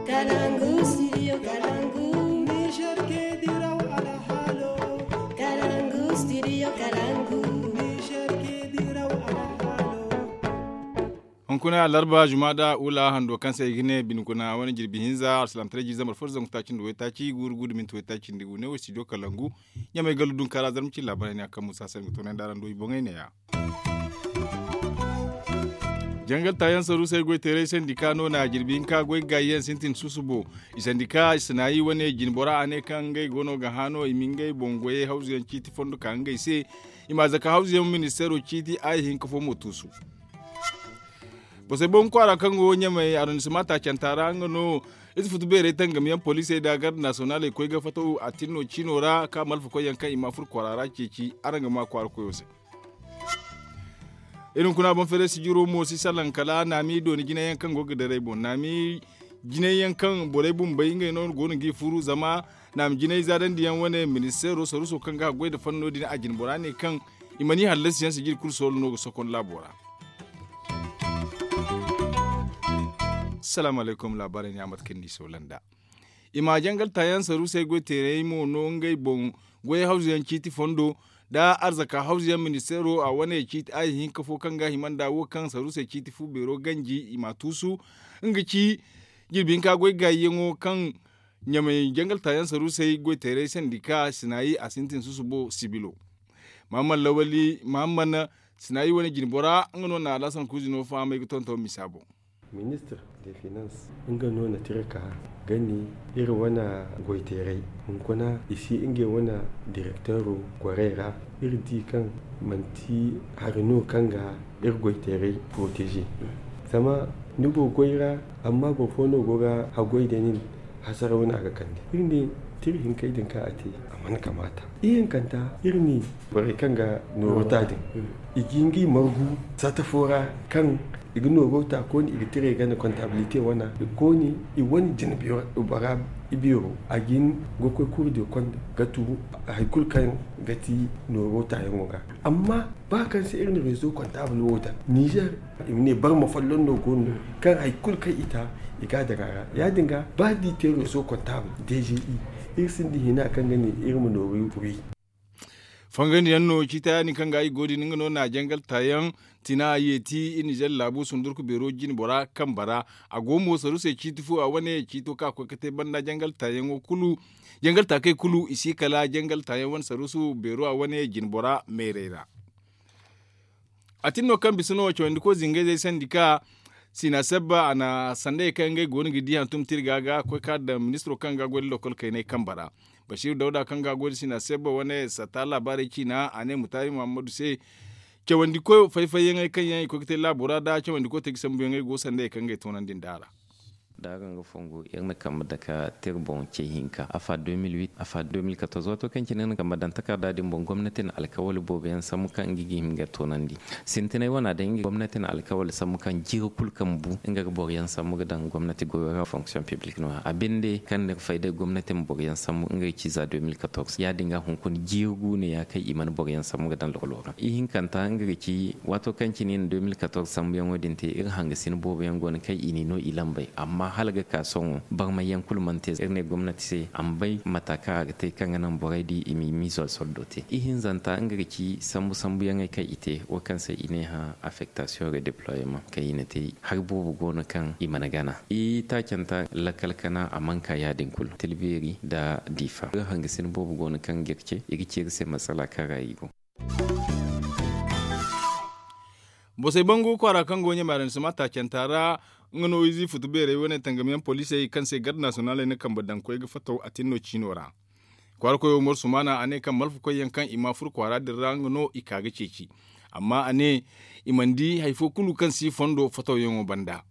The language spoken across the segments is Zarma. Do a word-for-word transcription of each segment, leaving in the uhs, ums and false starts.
Kalangu studio kalangu. Niger ke diraw alhalo. Kalangu studio kalangu. Niger ke diraw alhalo. Hunkuna larba jumada ula hando kaŋ se i ga ne binkuna wane jirbi hinza alsilaamtaray jiiri zambar fo da zangu taaci nda waytaaci guuru guuru da minti waytaaci nda gu ne wo studio kalangu. Ɲamay gallu dunkaara zarma cilla banay ne a kaŋ musa se nga toonay nda araŋ do i boŋay ne ya. Jangal taayaŋ saruusey goy teeray sandika no na jirbi hinka goy ga gaayiyaŋ sintin susubo. I sandika sinayi wane jinbora a ne kaŋ ngey go no ga hã no i ma ngey boŋ goyey hawzuyaŋ ciiti fondo ka ngey se. I ma zaka hawzuyaŋ ministeero ciiti a ye hinka fo mo tuusu. Bosey boŋ kwaara kaŋ go ɲamay arrondissement taacanta ra nga no. Ize futu beerey tangamiyaŋ poliisey da garde nasiyonaaley koy ga fattaw a tinno ciino ra ka malfa koyyaŋ kaŋ i ma furo kwaara ra ceeci araŋ ga ma kwaara koyo se. Iri hunkuna boŋ feeray sijiro mo si salaŋ kala naami dooni jinayyaŋ kaŋ go ga daray boŋ naami jinayyaŋ kaŋ borey bumbey ngey no go no g'i furu zama naami jinay zaadandiyaŋ wane ministeero saruuso kaŋ ga haggoy nda fanno din a jinbora ne kaŋ i mana i hallasiyaŋ sijiri kulu soolo no ga sokon laabo ra. Salaamu alaykum laabaarey ne a mate kaŋ ni soola nd'a. I ma jangal taayaŋ saruusey goy teerey mo no ngey boŋ goy hawzuyaŋ ciiti fondo nda arzaka hawzuyaŋ ministeero a wane ciiti a ye hinka fo kaŋ ga hima nda wo kaŋ saruusey ciiti fu beero ganji i ma tuusu. Nga ci jirbi hinka goy gaayiyaŋo kaŋ ɲamay jangal taayaŋ saruusey goy teerey sandika sinayi a sintin susubo sibilo. Mahamman lawali mahamman sinayi wane jinbora nga no na alasan kuuzino fahamay ga tonton misa boŋ. Ministir de finans nga no na tira ka gani iri wane goyteeray hunkuna i si ngey wane direkteero gorey ra. Iri di kaŋ manti hari no kaŋ ga iri goyteeray poroteeze. Zama ni go goy ra amma boro fo no go ga haggoy da nin hasara wane a ga kande iri ne tira hinkey din kaŋ a te a mana kamaata. Ihinkanta iri ne borey kaŋ ga nooro ta din i ga ngey margu sata fo ra kaŋ i ga nooro ta kooni i ga tirey gana kontabilite wane kooni i wane jinbora i beero a ga hin ga koy kuuri de konda ga tu hari kulu kaŋ ga ti nooro taayaŋo ga. Amma ba kaŋ se iri na rezo kontabul wo daŋ nizer i ma ne barma folloŋ no go no kaŋ hari kulu kaŋ i ta i ga a daŋ a ra ya- din ga ba da i te rezo kontabul dge iri sinda hina kaŋ ga ne iri ma nooru wi. Fangandi yaŋ no ciita ya- din kaŋ ga i go din nga no na jangal taayaŋ tina yeeti iri nizer laabu sundurku beero jinbora kambe ra. A go mo saruusey ciiti fu a wane ciito kaŋ a koy ga te banda jangal taayaŋo kulu jangal taakey kulu i si kala jangal taayaŋ wane saruusu beero a wane jinbora meerey ra. A tin no kaŋ bisa no cawandi koy zingayzey sandi ka sina sabba a na sandayey kaŋ ngey go no ga di hantum tirga ga koy ka daŋ ministiro kaŋ ga goy nda lokol kaynay kambe ra. Basiru dawda kaŋ ga goy nda sina sabba wane satta laabaarey ciina a ne mutaari muhammadu se cawandi koy fay-fayyaŋey kaŋ yaŋ i koy ga te laabo ra nda cawandi koy te ga sambuyaŋey go sandayey kaŋ ngey toonandi nd'a ra. Da araŋ ga fongu iri na kambe dake tira boŋ ce hinka afa deux mille huit afa deux mille quatorze waato kaŋ cine iri na kambe daŋ takarda din boŋ gomnati na alkawali boobo yaŋ sambu kaŋ nga ga hima ga toonandi. Sintinay wana day nga gomnati na alkawali sambu kaŋ jiiri kulu kaŋ bu nga ga boro yaŋ sambu ga daŋ gomnati goyo ra fonction publique no- ya a binde kaŋ ni ga fay day gomnati ma boro yaŋ sambu nga ga ci za deux mille quatorze ya- din ga hunkuna jiiri gu ne- ya kaŋ i mana boro yaŋ sambu ga daŋ lokolo ra ihinkanta nga ga ci waato kaŋ cine i na deux mille quatorze sambuyaŋo din te iri hangasina boobo yaŋ go no kaŋ i n'i no i lambey amma hala ga ka sohõ barmayyaŋ kulu mana te iri ne gomnati se a ma bay mata kaŋ a ga te kaŋ ga naŋ borey di i ma i miizo soldo te ihinzanta nga ga ci sambu sambuyaŋey kaŋ i te wo kaŋ se i ne hã affektasiyoŋ redeployement kaŋ i na te hari boobo go no kaŋ i mana gana i taacanta lakkal kana a mana ka ya- din kulu tilbeeri nda diifa iri hangasina boobo go no kaŋ ga iri ce i ga ci iri se masala kaŋ ra i go. Bosey bangu kwaara kaŋ go ɲamay araŋ sima taacanta ra nga no ize futu beerey wane tangamiyaŋ poliisey kaŋ se garde nasiyonaaley na kambe daŋ koy ga fattaw a tin no ciino ra. Kwaara koyo umaru sumaana a ne kaŋ malfa koyyaŋ kaŋ i ma furo kwaara din ra nga no i ka ga ceeci. Amma a ne i mana di hari fo kulu kaŋ si fondo fattawyaŋo banda.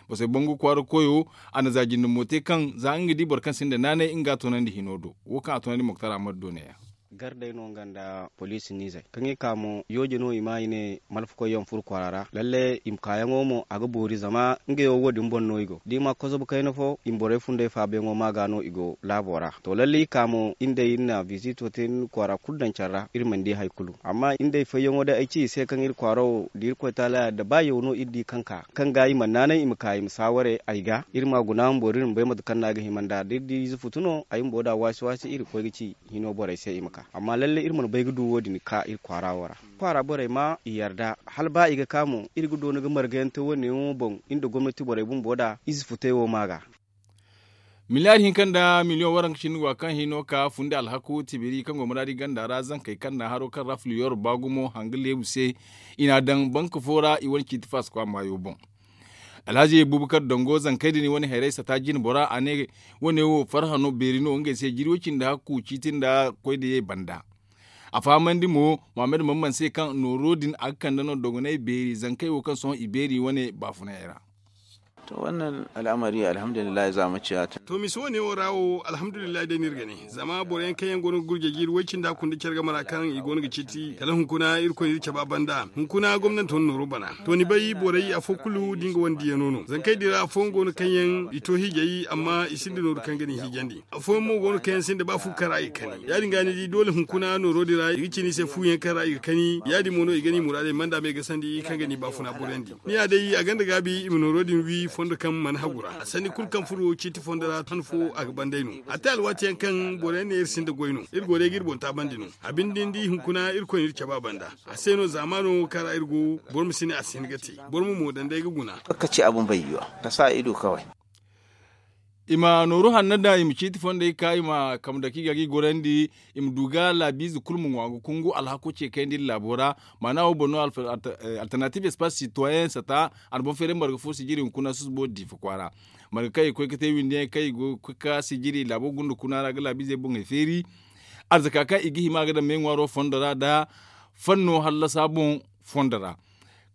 Bosey bangu kwaara koyo a na za jinde mo te kaŋ za nga di boro kaŋ sinda naanay nga ga a toonandi hino do wo kaŋ a toonandi moktar ammadu do ne- ya. Gardey no nga nda poliisi niizey kaŋ i ka mo yooje no i ma i ne malfakoy yaŋ furo kwaara ra lalle i ma kaayaŋo mo a ga boori zama ngey wo wo- din boŋ no i go da i ma kozobu kayna fo i ma borey fundey faabuyaŋo ma ga no i go laabo ra. To lalle i ka mo iri nd'ey iri na biziito te iri na kwaara kulu daŋ care ra iri mana di hari kulu amma iri nd'ey fayyaŋo day ay ci i se kaŋ iri kwaara wo da irkoy taala ya da ba yaw no iri di kaŋ ka kaŋ ga i mana naanay i ma ka i ma saaware ay ga iri ma guna bumbo da iri ma bay mate kaŋ no a ga hima nd'a da iri di ize futu no ay bumbo da waasi waasi iri ga koy ga ci hino borey se i ma ka amma lalle iri mana bay ga du wo- din ka iri kwaara wo ra kwaara borey ma i yarda hala ba i ga ka mo iri ga doona ga marga yaŋ te wo- ne yaŋo boŋ iri nda gomnati borey bumbo da ize futey wo ma ga. Miliyaari hinka nda miliyoŋ waranka cindi go a kaŋ hino ka fundi alhaku tibiri kaŋ go muraadi ganda ra zankey kaŋ na haro kaŋ ra filiyor ba gumo hanga leebu se i n'a daŋ banka fo ra i wane ciiti faasakwa maayo boŋ. Alhazi bubakar dango zankey din i wane hayray sata jine bora a ne wo- ne wo farha no beeri no ngey se jiri wo- cindi hakku ciiti nda koy da ye banda. A fahamandi mo muhammad mamman se kaŋ nooro din a ga kande no dogonay beeri zankey wo kaŋ sohõ i beeri wane baafunay ra. To wannan al'amari alhamdulillahi za mu ciya tun. To misi wane wo ra wo alhamdulillahi day no iri ga ne zama boro yaŋ kaŋ yaŋ go no ga gurja jiiri way cindi hakku nda care game ra kaŋ i go no ga ciiti kala hunkuna irkoy no iri caba banda hunkuna gomnanti wane nooro bana. To ni bay borey afo kulu da nga wane diyano no zankey din ra afooyaŋ go no kaŋ yaŋ i to hiijay amma i sinda nooru kaŋ ga ni hiijandi. Afooyaŋ mo go no kaŋ yaŋ sinda ba fu kara i ga kani ya- din ga ni di doole hunkuna nooro din ra i ga cine i se fu yaŋ kaŋ ra i ga kani ya- din mo no i ga ni muraadey manda me ga sandi kaŋ ga ni baafuna borandi. Ni ya day a gonda gaabi i ma nooro din wi fondo kaŋ mana hagu ra a sanni kulu kaŋ furo ciiti fondo ra han fo a ga banday no. A te alwaati yaŋ kaŋ boro yaŋ ne iri sinda goy no iri go day ga iri boŋ taabandi no. A binde ni di hunkuna irkoy no iri caba banda. A se no zaamaano kaŋ ra iri go boro ma si ne a si hin ga te. Boro ma mo daŋ day ga guna. Ka ci abu ma bay yiwa ka sa ido kaway. I ma nooru hanno daŋ i ma ciiti fondey ka i ma kambe dake i ga ga i gorandi. I ma du ga laabiize kulu ma ŋwa ga kungu alhako ce kayandi iri laabo ra. Maana wo boŋ no alternative espace citoyen sata a na boŋ feeray marga fo sijiri hunkuna susubo diifa kwaara. Marga kaŋ i ga koy ga te windiyaŋ kaŋ i go ga koy ga sijiri laabo gunda kuna ra ga laabiizey boŋey feeri. Arzaka kaŋ i ga hima ga daŋ meeŋwaaro fondo ra nda fanno hallasa boŋ fondo ra.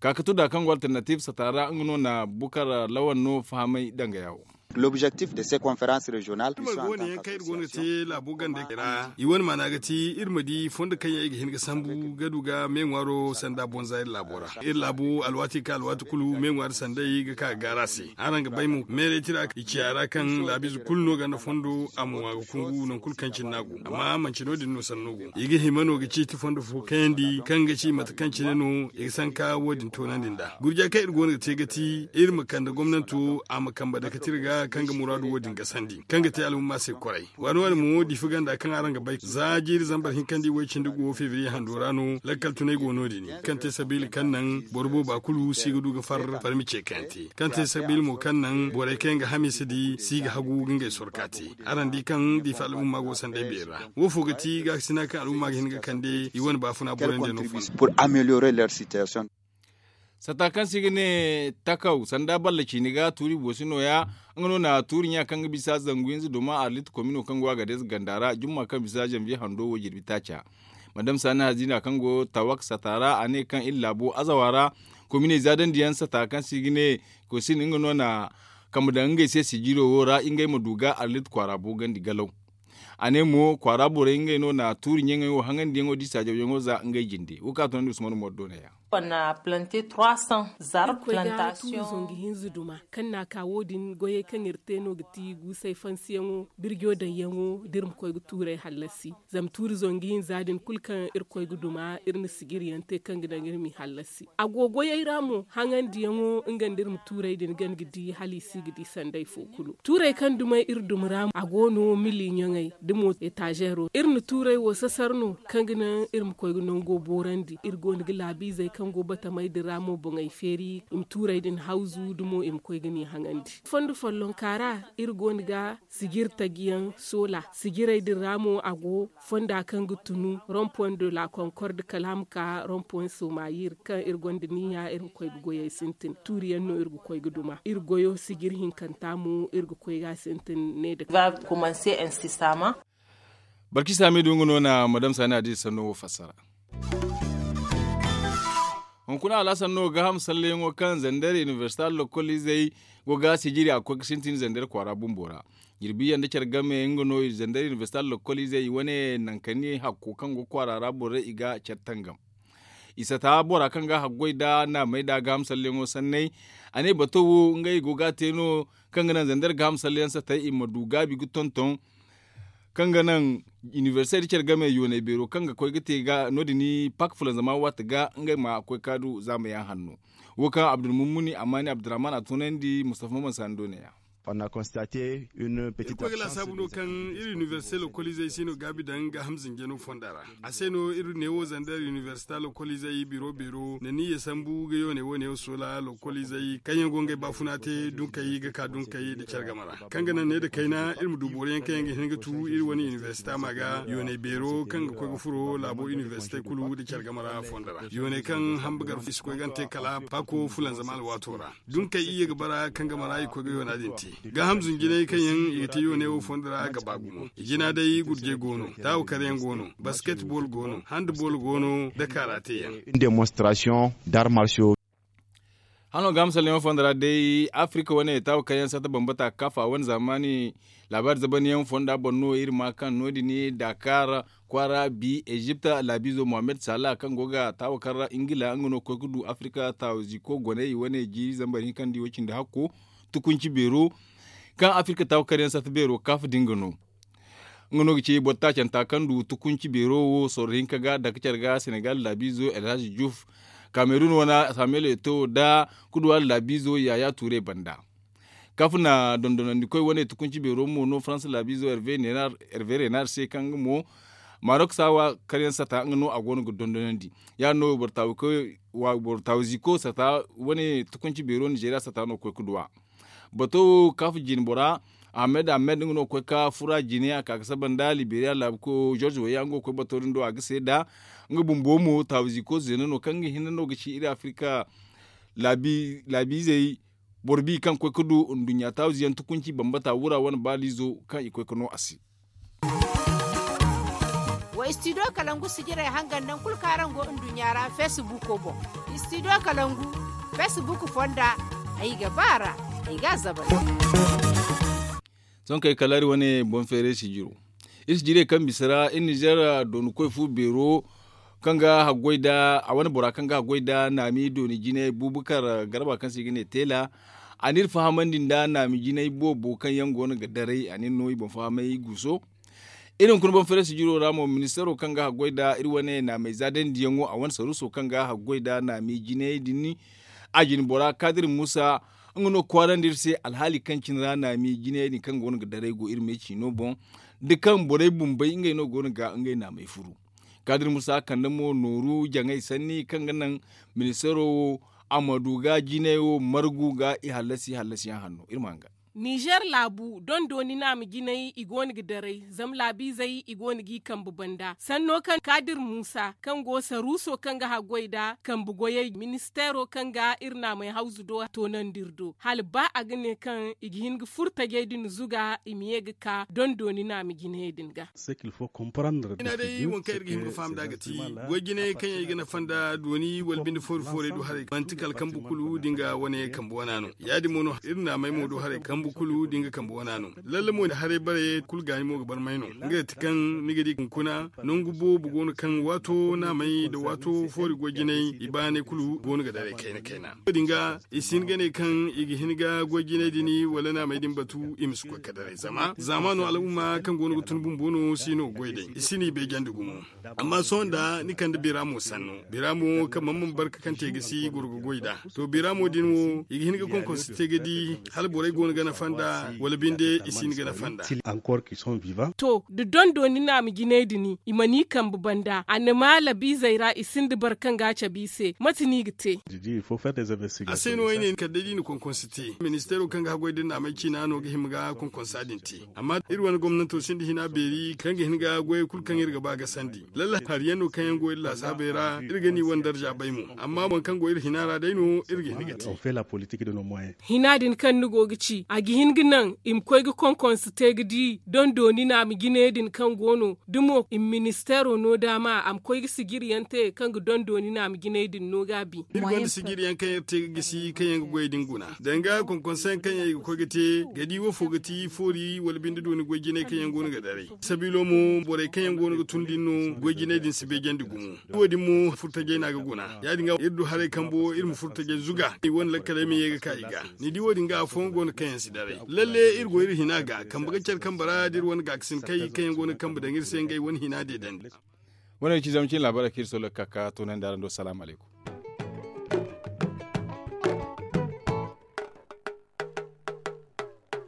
Ka ga to da kaŋ go alternative sata ra nga no na bukar lawan no fahamay danga yawo. L'objectif de se conference regional. Iri marga wane yaŋ kaŋ iri go no ga te laabo gandey ra i wane maana ga ti iri ma di fondo kaŋ yaŋ i ga hin ga sambu ga du ga meeŋwaaro sanda bonza iri laabo ra. Iri laabo alwaati kaŋ alwaati kulu meeŋwaari sanday ga ka ga gaara se. Araŋ ga bay mo meeray tira i ciya ra kaŋ laabiize kulu no ganda fondo a ma ŋwa ga kungu nangu kulu kaŋ cine no a go amma manci no- din no sanno go. I ga hima no ga ciiti fondo fo kayandi kaŋ ga ci mate kaŋ cine no i ga sanka wo- din toonandi nd'a gurja kaŋ iri go no ga te ga ti iri ma kande gomnanto a ma kambe dake tira ga kaŋ ga muraadu wo- din gasandi kaŋ ga te alhumma se koray. Waani waani mo diifa ganda kaŋ araŋ ga bay za jiiri zambar hinkandi way cindi go febriye hando ra no lakkal tunay go no- din kaŋ te sabiila kaŋ naŋ boro booba kulu si ga du ga far farmi ce kaŋ yaŋ te kaŋ te sabiila mo kaŋ naŋ borey kaŋ yaŋ ga hamiisa di si ga hagu ga ngey sorka te. Araŋ di kaŋ diifa al'umma go sanday beeri ra. Wo fo ga ti gaakasina kaŋ al'umma ga hin ga kande i wane baafuna borandi no fo. Sata kaŋ se i ga ne takaw sanda balla ciini ga tuuri boosi nooya. Nga no na tuuri ɲa kaŋ ga bisa zangu hinza duma arlit komino kaŋ go a ga deeza ganda ra jumma kaŋ bisa zanviye hando wo jirbi taaca. Madam saani hazina kaŋ go tawak sata ra a ne kaŋ iri laabo azawa ra kominey zaadandi yaŋ sata kaŋ se i ga ne kosin nga no na kambe daŋ ngey se sijiro wo ra ngey ma du ga arlit kwaara boogandi galaw. A ne mo kwaara borey ngey no na tuuri ɲaŋey wo haŋandiyaŋo da i saajawyaŋo za ngey jinde wo kaŋ a tunandi usman mordo ne ya. Irkoy ga tuuri zangu hinza duma kaŋ na a ka wo- din goyey kaŋ iri te no ga ti guusay fansiyaŋo birjo daŋyaŋo da iri ma koy ga tuurey hallasi. Zama tuuri zangu hinza din kulu kaŋ iri koy ga duma iri na sijiri yaŋ te kaŋ ga daŋ iri m'i hallasi a go goyey ra mo haŋandiyaŋo nga nda iri ma tuurey din gana ga di hala i si ga di sanday fo kulu tuurey kaŋ dumey iri duma ra mo a go no mili ɲaŋey da mo etazeero iri na tuurey wo sasar no kaŋ ga naŋ iri ma koy ga nango boorandi iri go no ga laabiizey kaŋ go batamey din ra mo boŋey feeri i ma tuurey din hawzu da mo i ma koy ga ni haŋandi fondo follonka ra. Iri go no ga sijiri taji yaŋ soola sijirey din ra mo a go fonda kaŋ ga tunu rompon de la konkord kala a ma ka rompon somayir kaŋ iri gonda niiya iri ma koy ga goyey sintin tuuri yaŋ no iri ga koy ga duma iri goyo sijiri hinkanta mo iri ga koy ga sintin ne da. Barki saami du nga no na madam saani a di sanno wo fassara. Hunkuna alhasan no ga ham salleyaŋo kaŋ zander inibersita lokol izey go ga sijiri a ga koy ga sintin zandar kwaara bumbo ra. Jirbi yaŋ da care game nga no zandar inibersita lokoliizey i wane nankani hakko kaŋ go kwaara ra borey i ga care tangam. I sata bora kaŋ ga haggoy nda naamey nda gaaham salleyaŋo sanney. A ne bato wo ngey go ga a te no kaŋ ga naŋ zandar gaaham salleyaŋ satey i ma du gaabi ga tonton kaŋ ga naŋ inibersite da care game yooney beero kaŋ ga koy ga te ga no- din pak fulanzama waati ga ngey ma koy kaadu zaamayaŋ hanno. Wo kaŋ abdulmumuni amaani abdurrahman a toonandi mustafa maman sando ne ya. Iri koy ga laasaabu no kaŋ iri inibersite lokoliizey si no gaabi daŋ gaaham zinjano fonda ra. A se no iri neewo zandar inibersita lokoliizey biro beero na niyya sambu ga yoone wo neewo soola lokoliizey kaŋ yaŋ go ngey baafuna te dunkey ga ka dunkey nda care game ra kaŋ ga naŋ ne nda kayna iri ma du boro yaŋ kaŋ yaŋ ga hin ga tu iri wane inibersita ma ga yooney beero kaŋ ga koy ga furo laabo inibersite kulu nda care game ra fonda ra yooney kaŋ hamba gar i si koy ga ni te kala paako fulanzama alwaato ra. Dunkey iyye ga bara kaŋ game ra i koy ga yoona din te. Gaaham zunjinay kaŋ yaŋ i ga te yoone wo fondo ra ga ba gumo i jina day gurjey go no taawa kar yaŋ go no basketbol go no handbol go no da kaara te yaŋ. Hano ga misalyaŋo fondo ra day afirika wane taawa kar yaŋ sata bambata kaafa wane zaamaani laabaari zabanyaŋ fonda boŋ no iri ma kaŋ no- din dakar kwaara bi ezipt laabiizo mohammed sala kaŋ go ga taawa kar ra ingila nga no ga koy ga du afirika taawa ziiko goney i wane jiiri zambar hinka nda i wo cindi hakko tukunci beero kaŋ afirka taawa kar yaŋ sata beero kaafa din ga no. Nga no ga ci boro taacanta kaŋ du tukunci beero wo sorro hinka ga dake care ga senegal laabiizo elhaj juuf kamerun wane samuel eto nda kuduwar laabiizo yaya tuure banda. Kaf na dondonandikoy wane tukunci beero mo no faransa laabiizo herve renar se kaŋ nga mo marok saawa karyaŋ sata nga no a go no ga dondonandi. Ya- din no boro taawu ziiko sata wane tukunci beero nizeeriya sata no ga koy ga duw'a. Bato wo kaf jine bora ahmed ahmed nga no ga koy ga fura jine a ka ga saba nda liberiya laabu koyo george wayya nga go ga koy bato din do a ga seeda. Nga bumbo mo taawu ziiko zeena no kaŋ nga hinne no ga ci iri afirika laabiizey boro bi kaŋ ga koy ga du nduɲɲa taawu ziyaŋ tukunci bambata wura wane baaliizo kaŋ i ga koy ga no a se. Wa istidiyo kalangu sijirey hangan nangu kulu kaŋ araŋ go nduɲɲa ra feesibuuko boŋ. Istidiyo kalangu feesibuuko fonda ay ga ba a ra ay ga a zabari. Sohõ kay kala iri wane boŋ feeray sijiro iri sijirey kaŋ bisa ra iri nizeer dooni koy fu beero kaŋ ga haggoy nda a wane bora kaŋ ga haggoy nda naami dooni jinay buubukar garba kaŋ se i ga ne teela. A n'iri fahamandi nda naami jinay boobo kaŋ yaŋ go no ga daray a n'iri no i boŋ fahamay guuso. Iri hunkuna boŋ feere sijiro ra mo ministeero kaŋ ga haggoy nda iri wane naamay zaadandiyaŋo a wane saruuso kaŋ ga haggoy nda naami jinay din a jine bora kaadir muusa nga no ga kwaarandi iri se alhaali kaŋ cine ra naami jinay din kaŋ go no ga daray go iri me ciino boŋ. Da kaŋ borey bumbey ngey no go no ga ngey naamay furu kaadir muusa kande mo nooru jaŋay sanni kaŋ ga naŋ ministeero wo a ma du ga jinay wo margu ga i hallasi hallasiyaŋ hanno iri ma hanga. Nizer laabu dondooni naama jinay i go no ga daray zama laabiizey i go no g'i kambe banda sanno kaŋ kaadir muusa kaŋ go saruuso kaŋ ga haggoy nda kambe goyey ministeero kaŋ ga iri naamay hawzu do toonandi iri do hala ba a ga ne kaŋ i ga hin ga furo tajey din zuga i ma ye ga ka dondooni naama jinayey din ga. Ina day waŋ kaŋ iri ga hin ga faham nd'a ga ti goy jinay kaŋ yaŋ i ga nafa nda dooni wala binde foori fooray do haray manti kala kambe kulu da nga wane kambe wana no. Ya- din mo no iri naamay mo do haray kambe kulu da nga kambe wana no. Lalle mo haray bare kulu gaani mo ga barmay no. Nga ti kaŋ ni ga di hunkuna nangu boobo go no kaŋ waato naamay nda waato foori goy jinay i baanay kulu go no ga daray kayna kayna. Wo- din ga i si hin ga ne kaŋ i ga hin ga goy jinay din wala naamay din batu i ma si koy ga daray zama zaamaano al'umma kaŋ go no ga tun bumbo no si no ga goy day i si no i bay jandi gumo. Amma sohõ nda ni kande bira mo sanno bira mo kaŋ man man barka kaŋ te ga si goro ga goy nd'a. To bira mo din wo i ga hin ga konkonsi te ga di hala borey go no ga nafa nd'a wala binde i si hin ga nafa nd'a. To da dondooni naama jinay din i mana i kambe banda a na ma labiizey ra i sinda boro kaŋ ga a cabe i se mate no i ga te? A se no ay ne kala day da i na konkonsi te ministeero kaŋ ga haggoy da naamay ciina no ga hima ga konkonsa din te. Amma iri wane gomnanto sinda hina beeri kaŋ ga hin ga goyey kulu kaŋ iri ga ba ga sandi lalle hari yaŋ no kaŋ yaŋ go iri laasaabey ra iri ga ni wane darza bay mo. Amma boro kaŋ go iri hina ra day no iri ga hin ga te. Hina din kaŋ ni go ga ci a ga hin ga naŋ i ma koy ga konkonse te ga di dondooni naama jinay din kaŋ go no da mo i ma ministeero no daama a ma koy ga sijiri yaŋ te kaŋ ga dondooni naama jinay din no gaabi. Iri gonda sijiri yaŋ kaŋ iri te ga gisi kaŋ yaŋ ga goy din guna danga konkonse yaŋ kaŋ yaŋ i ga koy ga te ga di wo fo ga ti foori wala binde dooni goy jinay kaŋ yaŋ go no ga daray sabiilo mo borey kaŋ yaŋ go no ga tun din no goy jinay din si beejandi gumo. Wo- din mo furtajey no a ga guna ya- din ga iri du haray kambo iri ma furtajey zuga i wane lakkaley ma ye ga ka i ga. Ni di wo- din ga afooyaŋ go no kaŋ yaŋ si daray lalle iri go iri hina ga kambe ga care kambe ra da iri wane gaakasin kay kaŋ yaŋ go no ga kambe daŋ iri se ngey wane hina deedandi. Wane ci zama cine laabaarey kaŋ iri solo ga ka ka toonandi araŋ do salaamu alaykum.